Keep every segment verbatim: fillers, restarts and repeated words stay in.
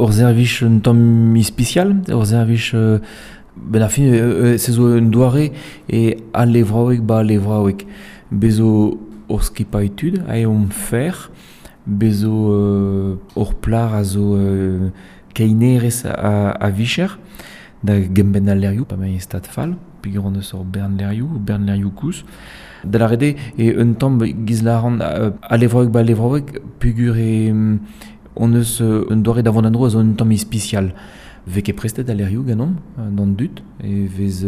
ur servij un tamm ispisial, ur servij euh, ben ar fin euh, se zo un doare e al levraoueg ba levraoueg. Bezo ur skipailh tud a eo fer, bezo euh, ur plar a zo euh, keinerez a, a vicher, da gembenn al lerioù, pa mañ stad fall, peogwir hon eus ur bern lerioù, bern lerioù koulz. Da lâret eo e un tamm giz lâran euh, al levraoueg ba levraoueg peogwir e hon eus un doare da vont an dro a zo un tamm ispisial. Vez ket prestet al lerioù ganeomp d'an dud, e vez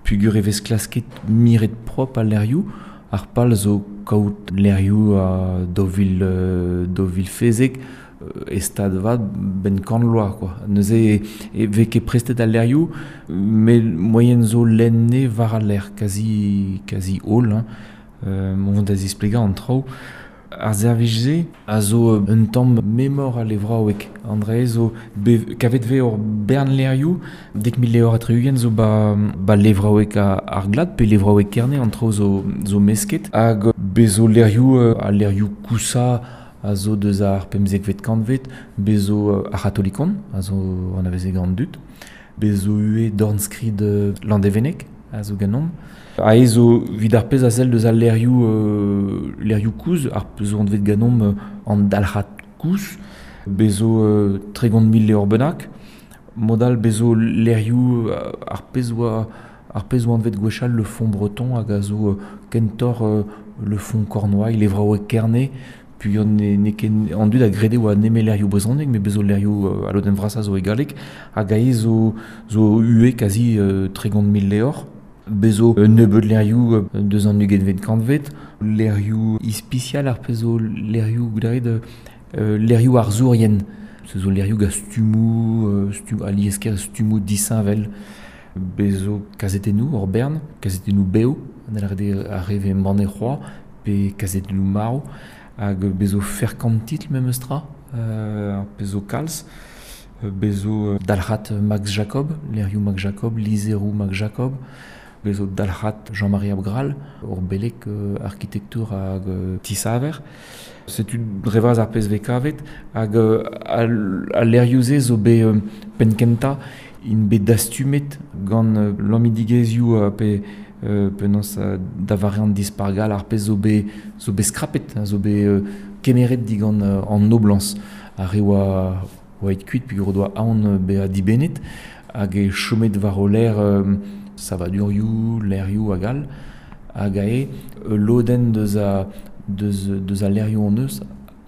peogwir e vez klasket miret prop al lerioù, ar pal zo kaout lerioù a daou vil, daou vil fezek e stad vat ben kant loa, quoi. Neuze e, e vez ket prestet al lerioù, met moaien zo lenne war al ler, kazi, kazi holl, hein. Euh, mont da zisplegañ an traoù. Ar servij-se a zo un tamm memor al levraoueg. An dra zo be, kavet vez ur bern lerioù, dek mil levr ha tri-ugent zo ba, ba levraoueg ar glad, pe levraoueg Kerne, an traoù zo, zo mesket. Hag bezo lerioù, al lerioù kousa a zo deus ar pemzekvet kantvet, bezo ar c'hatolikon, a zo anaveze gant dud, bezo ue dornskrid Landevenneg, a zo ganeomp. A e zo vid ar pezh a sell deus al lerioù, euh, lerioù kouz, ar pezh zo anvet ganeomp euh, an dalc'had kouz, bezo euh, tregont mil levr bennak, modal bezo lerioù ar pezh oa ar pezh oa anvet gwechall le fond breton hag a zo euh, kentor euh, le fond Cornouaille, levraoueg Kerne, puis on ne, ne ken an dud a grede oa neme lerioù brezhoneg, met bezo lerioù euh, a lodenn vrasañ zo e galleg, hag a e zo, zo ue kazi euh, tregont mil levr. Bezo un nebeud lerioù deus an ugentvet kantvet, lerioù ispisial ar pezh zo lerioù goudaret euh, lerioù arzourien. Se zo lerioù gant stummoù, euh, stum, a liesker stummoù disheñvel. Bezo kazetennoù ur bern, kazetennoù bev, an lâret ar re vez embannet c'hoazh, pe kazetennoù marv, hag bezo ferkant titl memes tra, euh, ar pezh zo kalz. Bezo dalc'had Max Jacob, lerioù Max Jacob, lizheroù Max Jacob, bezo dalc'had Jean-Marie Abgrall, ur beleg euh, arkitektour hag euh, tisaver. Setu dre vras ar pezh vez kavet, hag euh, al, al lerioù-se zo bet euh, penn-kentañ int bet dastumet gant euh, lammidigezhioù euh, pe euh, penaos euh, da vare an dispargal ar pezh zo bet, zo bet skrapet, hein, zo bet euh, kemeret digant euh, an noblañs. Ar re oa, oa aet kuit peogwir o doa aon bezañ dibennet, hag e chomet war o ler euh, savadurioù, lerioù hag all, hag ae lodenn deus a, deus, deus a lerioù hon eus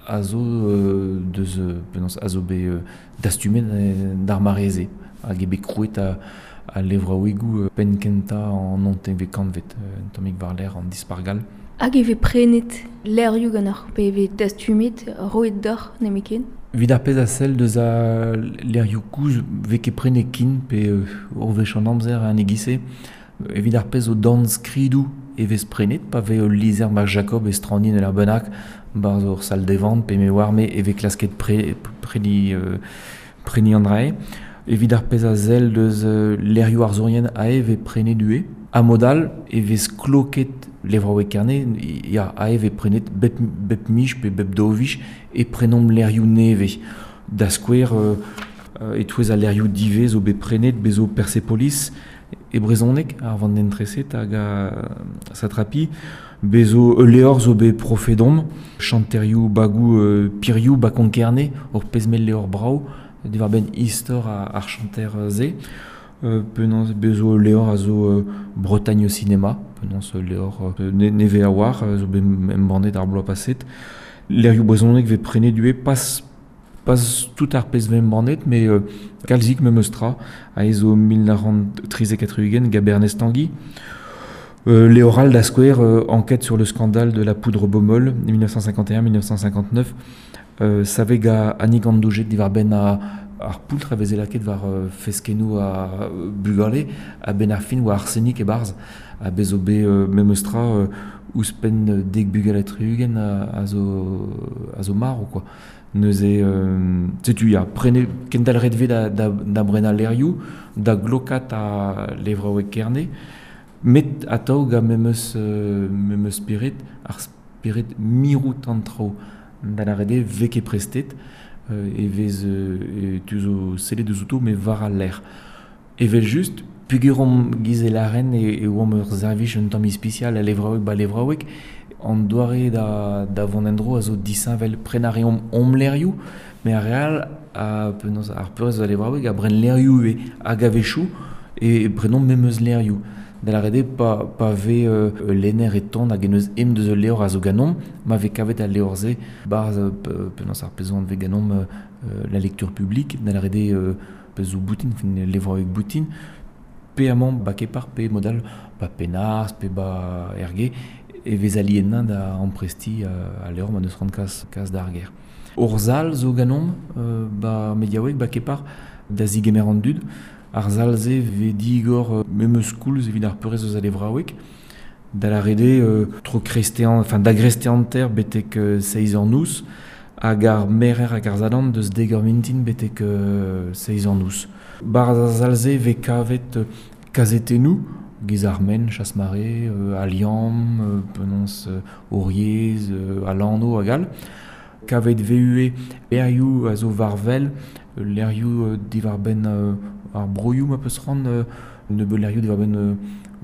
a zo euh, deus penaos a zo bet euh, dastumet d'ar mare-se, hag eo bet krouet a, a levraouegoù penn-kentañ an naontekvet kantvet, un tammig war-lerc'h an dispargal. Hag e vez prenet lerioù ganeoc'h, pe e vez dastumet roet deoc'h nemetken? Evit ar pezh a sell deus a lerioù koulz vez ket prenet kin pe euh, ur wech an amzer an e-giz-se. Evit ar pezh zo dornskridoù e vez prenet, pa vez ul lizher Max Jacob e strañnin ur bennak, barzh ur sal devant, pe me oar me e vez klasket pre, preniñ, euh, preniñ an dra-se. Evit ar pezh a sell deus euh, lerioù arzourien a e vez prenet ue. A mod all e vez kloket levraoueg Kerne, ya, a e vez prenet bep, bep miz pe bep daou viz e prenomp lerioù nevez. Da skouer, euh, e-touez al lerioù divez zo bet prenet bezo Persepolis e brezhoneg ar vandenn treset hag a satrapi, bezo ul levr zo bet profedomp, chanterioù bagoù euh, pirioù ba Konk-Kerne, ur pezh mell levr brav, diwar-benn istor ar chanter-se. Euh, penaos bezo ul levr a zo euh, Bretagne au cinéma, penaos ul levr euh, ne, nevez a oar, zo bet embannet ar bloaz paset. Lerioù brezhoneg vez prenet ivez pas pas tout ar pezh vez embannet, met euh, kalzik memes tra, a e zo mil nav c'hant trizek ha tri-ugent gant Bernez Tanguy. Euh, levr all da skouer, euh, enquête sur le scandale de la poudre Baumol, mille neuf cent cinquante et un mille neuf cent cinquante-neuf, euh, savet gant Annick an Doujet diwar-benn a ar poultr a veze lakaet war euh, feskennoù a bugale, a benn ar fin oa arsenik e-barzh, a bez zo bet euh, memes tra euh, ouzhpenn dek bugel ha tri-ugent a, a zo, a zo marv, quoi. Neuze, euh, setu ya, prene, kendalc'het vez da, da, da brenañ lerioù, da glokat a levraoueg Kerne, met atav gant memes, euh, memes spered, ar spered mirout an traoù. Da lâret eo vez ket prestet, euh, e vez euh, tu zo sellet deus outo me war al l'air. Evel just, pugur omp giz e laren e, e oamp ur servij un tamm ispisial a levraoueg ba levraoueg, an doare da, da vont endro a zo disheñvel pren a reomp omp lerioù, me ar real a penaos ar peurrest a levraoueg a bren lerioù e hag a-wechoù e prenomp memeus lerioù. Da la rede pa, pa ve euh, lenner e ton hag en eus em deus ul levr a zo ganomp, ma ve kavet al levr-se barz euh, penaos ar pezh ve ganomp euh, la lecture publique, da la rede euh, pezh zo boutin, fin levraoueg boutin, pe amañ ba kepar, pe modal ba penars, pe ba erge, e vez aliennañ da ampresti euh, a levr ma neus rant kas, kas d'ar ger. Ur zal zo ganomp euh, ba mediaoueg ba kepar da zigemer an dud, ar zal-se ve digor euh, memeus koulz evit ar peurrest eus a levraoueg, da la rede euh, tro krestean, enfin da grestean ter betek euh, seiz eur nous, hag ar merer hag ar zadan deus deg eur mintin betek euh, seiz eur nous. Bar ar zal-se ve kavet euh, kazetennoù, giz ar men, Chasse-Marée, euh, Aliam, euh, penaos euh, Oriez, euh, Alano hag all. Kavet V U E lerioù a zo varvel, lerioù euh, diwar benn euh, ar broioù ma peus ran, euh, nebeut lerioù diwar benn euh,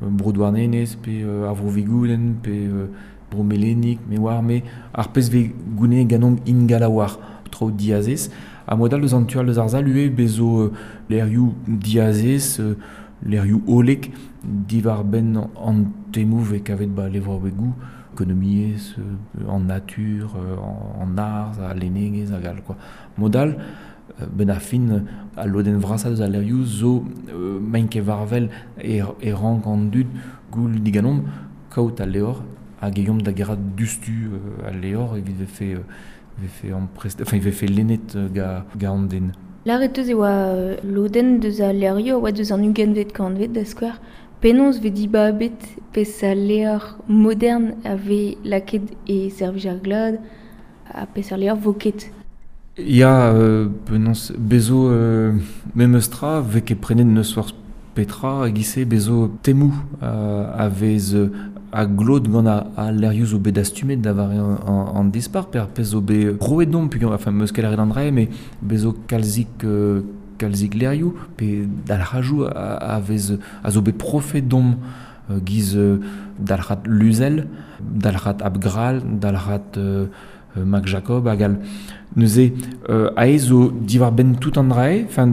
bro Douarnenez, pe euh, ar vro Vigoudenn, pe euh, bro Melenik, me oar, me ar pezh ve gouneet ganomp ingal a oar, tro diazez. Ha modal deus an tual deus ar zal ue bezo euh, lerioù diazez, euh, lerioù olek diwar benn an temoù ve kavet ba levraouegoù, ekonomiezh, euh, en nature, euh, en, en arz, a lennegezh hag all, quoi. Modal, euh, ben a fin a lodenn vrasa deus al lerioù zo euh, maint ket varvel e, e rank an dud goul diganomp kaout al levr hag eomp da gerat dustu euh, al levr evit vefe, euh, vefe amprest, enfin, vefe lennet euh, ga, ga an den. Lâret eus e oa euh, lodenn deus al lerioù a oa deus an ugentvet kantved da skouer. Penaos ve dibabet pezh al levr modern a ve lakaet e servij ar glad ha pezh ar levr vo ket. Ya, euh, penaos bezo euh, memes tra ve ket prenet neus forzh petra hag ise bezo temoù euh, a vez euh, a glot gant a, a lerioù zo bet dastumet da vare an, an, an dispar, pe ar pezh zo bet roet domp, pugur, enfin, meus ket lâret an dra, me bezo kalzik, euh, kalzik lerioù, pe dalc'hajoù a, a vez a zo bet profet domp euh, giz euh, dalc'hat Luzel, dalc'hat Abgral, dalc'hat euh, Mac Jacob hag all. Neuze euh, aes zo diwar benn tout an drae, enfin,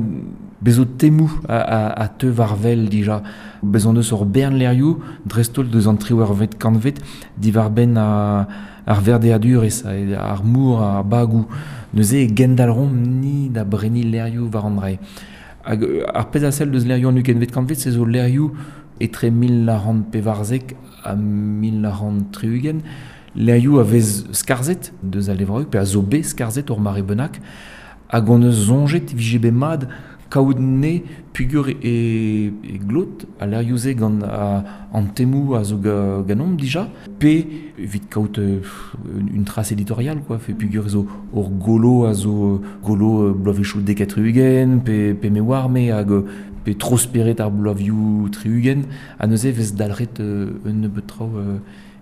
bezo temoù a, a, a teu war vel dija. Bezon deus ur bern lerioù, dreist-holl deus an triwec'hvet kantved, diwar benn a, ar verdeadurez, ar mour, ar bagoù. Neuze e gendalc'homp ni da breniñ lerioù war an drae. Hag ar pezh a sell deus lerioù an ugentvet kantved, se zo lerioù etre mil nav c'hant pevarzek ha mil nav c'hant tri-ugent, lerioù a vez skarzhet deus al levraoueg, pe a zo bet skarzhet ur mare bennak, hag on eus soñjet vije bet mat kaout ne pugur e, e glot a lerioù-se gant a, an temoù a zo ga, ganomp dija, pe evit kaout euh, une trace éditoriale, quoi, fe pugur zo ur golo a zo golo euh, bloavezhioù dek ha tri-ugent, pe, pe me oar me hag pe trosperet ar bloavioù tri-ugent, ha neuze vez dalc'het euh, un nebeut traoù euh,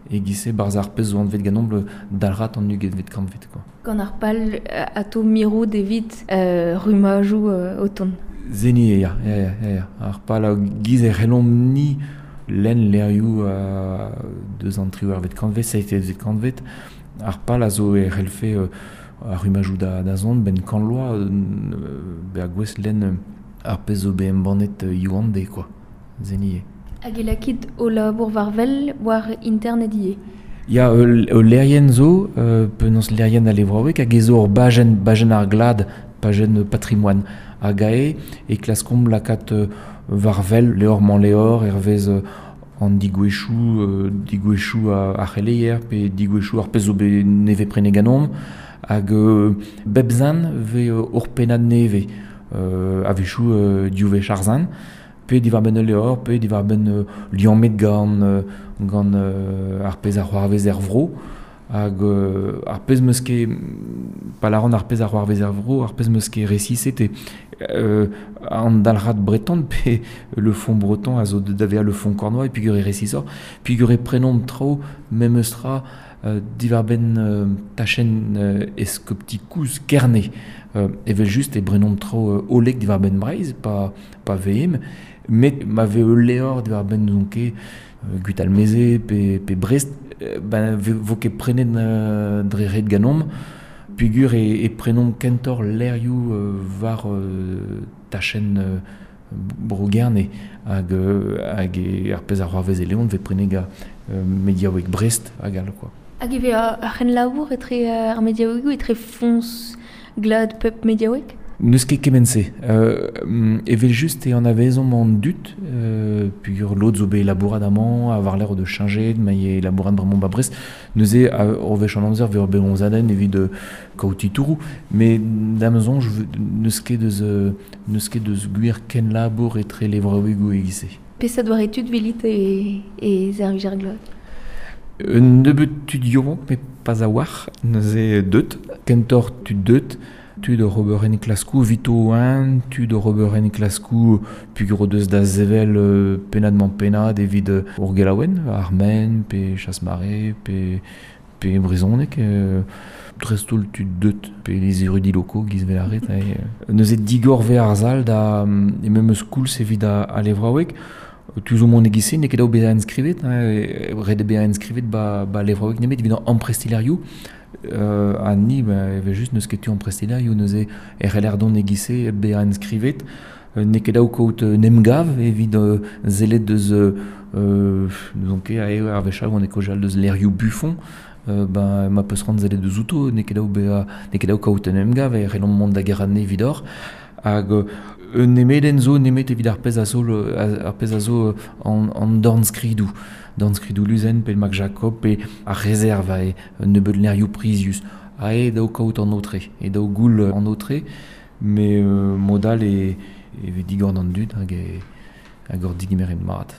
e-giz-se barzh ar pezh zo anvet ganomp dalc'hat an ugentvet kantved, quoi. Gant ar pal ato mirout evit euh, rumajoù euh, o tont. Zeni eo, ya, ya, ya, ya. Ar pal a giz e c'hellomp ni lenn lerioù euh, deus an triwec'hvet kantved, seizhvet kantved. Ar pal a zo e c'hellfe euh, ar rumajoù da, da zont, ben kant loa, euh, bezañ gouest lenn ar pezh zo bet embannet euh, hiziv-an-deiz, quoi. Zeni eo. Hag e lakit o labour war wel war internet ivez. Ya, ul, ul lerien zo, euh, penaos lerien a levraoueg, hag e zo ur bajenn, bajenn ar glad, pajenn patrimoine. Hag ae e klaskomp lakaat euh, war wel levr-mañ levr, hervez euh, an digouezhioù, euh, digouezhioù a, a c'heleier, pe digouezhioù ar pezh zo bet nevez prenet ganeomp, hag euh, bep zan vez euh, ur pennad nevez, euh, a-wechoù euh, div wech ar zan, pe diwar benn ul levr, pe diwar benn euh, liammet gant, euh, gant euh, ar pezh a c'hoarvez er vro, hag euh, ar pezh meus ket, pa lâran ar pezh a c'hoarvez er vro, ar pezh meus ket resiset eo euh, an dalc'had breton, pe le fond breton a zo da vezañ le fond cornois, e peogwir e resisoc'h, peogwir e prenomp traoù memes tra euh, diwar benn euh, tachenn euh, eskopti kouz Kerne. Euh, evel just e brenomp tro euh, olek diwar benn Breizh, pa, pa veem, met ma ve ul levr diwar benn n'ouzon ket euh, Gwitalmeze pe, pe Brest, euh, ben ve, vo ket prenet euh, dre ret ganomp, pugur e, e prenomp kentor lerioù euh, war euh, tachenn euh, bro Gerne hag, euh, hag e ar pezh ar c'hoarvez e Leon ve prenet ga euh, mediaoueg Brest hag all quoi. Hag e vez ar c'hen labour etre euh, ar mediaouegoù etre foñs glad pep mediaoueg? N'eus ket kement-se. Euh, evel just e anavezomp an dud, euh, pugur lod zo bet labourat amañ, a war l'air de changer, ma eo labourat bremañ ba Brest, neuze a ur wech an amzer vez ur bet onzadenn evit euh, kaout titouroù, met da'm soñj n'eus ket deus, euh, n'eus ket deus gwir ken labour etre levraouegoù e-giz-se. Peseurt doare tud velit e, e servij ar glad? Un nebeud tud yaouank, met pas a-walc'h, neuze deut, kentoc'h tud deut, tud oc'h ober enklaskoù evito un, tud oc'h ober enklaskoù pugur o deus da sevel euh, pennad-mañ pennad evit euh, ur gelaouenn, ar Men, pe Chasse-Marée, pe, pe brezhoneg, euh, dreist-holl tud deut, pe les érudits locaux giz vel ar ret, euh, neuze digor ve ar zal da e memes koulz evit a, a levraoueg. Tu zo mont e-giz-se, n'eo ket dav bezañ enskrivet, hein, ret eo bezañ enskrivet ba, ba levraoueg nemet evit an amprestiñ levrioù. Euh, ha ni, ba, evel just n'eus ket tu amprestiñ levrioù, neuze e c'heller dont e-giz-se bezañ enskrivet. Euh, n'eo ket dav kaout un emgav evit euh, sellet deus euh, euh, n'ouzon ket ae ar wech all on e kaozeal deus levrioù Buffon, euh, ben, ma peus c'hoant sellet deus outo, n'eo ket dav bezañ, n'eo ket dav kaout un emgav e c'hellomp mont da geranne evidoc'h. Hag euh, un nemedenn zo nemet evit ar pezh a zo, ar pezh a zo an, an dornskridoù. Dornskridoù Luzen pe Max Jacob pe ar rezerv ae un nebeud levrioù prizius. Ae dav kaout an aotre, e dav goul an aotre, met euh, mod all e, e vez digor d'an dud hag e, hag ur digemeret mat.